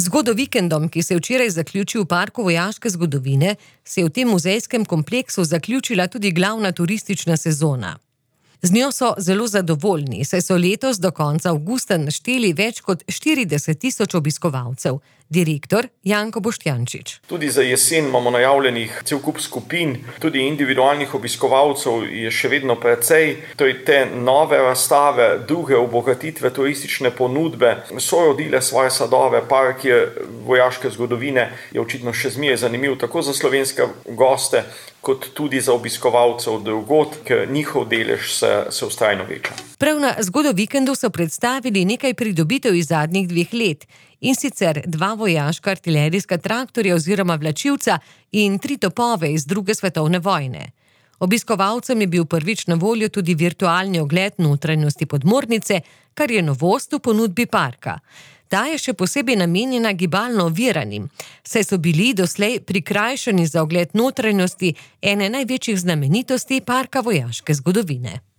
Zgodovikendom, ki se je včeraj zaključil v Parku vojaške zgodovine, se je v tem muzejskem kompleksu zaključila tudi glavna turistična sezona. Z njo so zelo zadovoljni, saj so letos do konca avgusta našteli več kot 40.000 obiskovalcev. Direktor Janko Boštjančič. Tudi za jesen imamo najavljenih cel kup skupin, tudi individualnih obiskovalcev je še vedno precej. Te nove razstave, druge obogatitve turistične ponudbe so rodile svoje sadove. Park vojaške zgodovine je očitno še zmeraj zanimiv tako za slovenske goste, kot tudi za obiskovalcev drugod, ker njihov delež se vztrajno veča. Prav na Zgodovikendu so predstavili nekaj pridobitev iz zadnjih 2 let, in sicer 2 vojaška artilerijska traktorja oziroma vlačilca in 3 topove iz 2. svetovne vojne. Obiskovalcem je bil prvič na voljo tudi virtualni ogled notranjosti podmornice, kar je novost v ponudbi parka. Ta je še posebej namenjena gibalno oviranim, saj so bili doslej prikrajšani za ogled notranjosti ene največjih znamenitosti Parka vojaške zgodovine.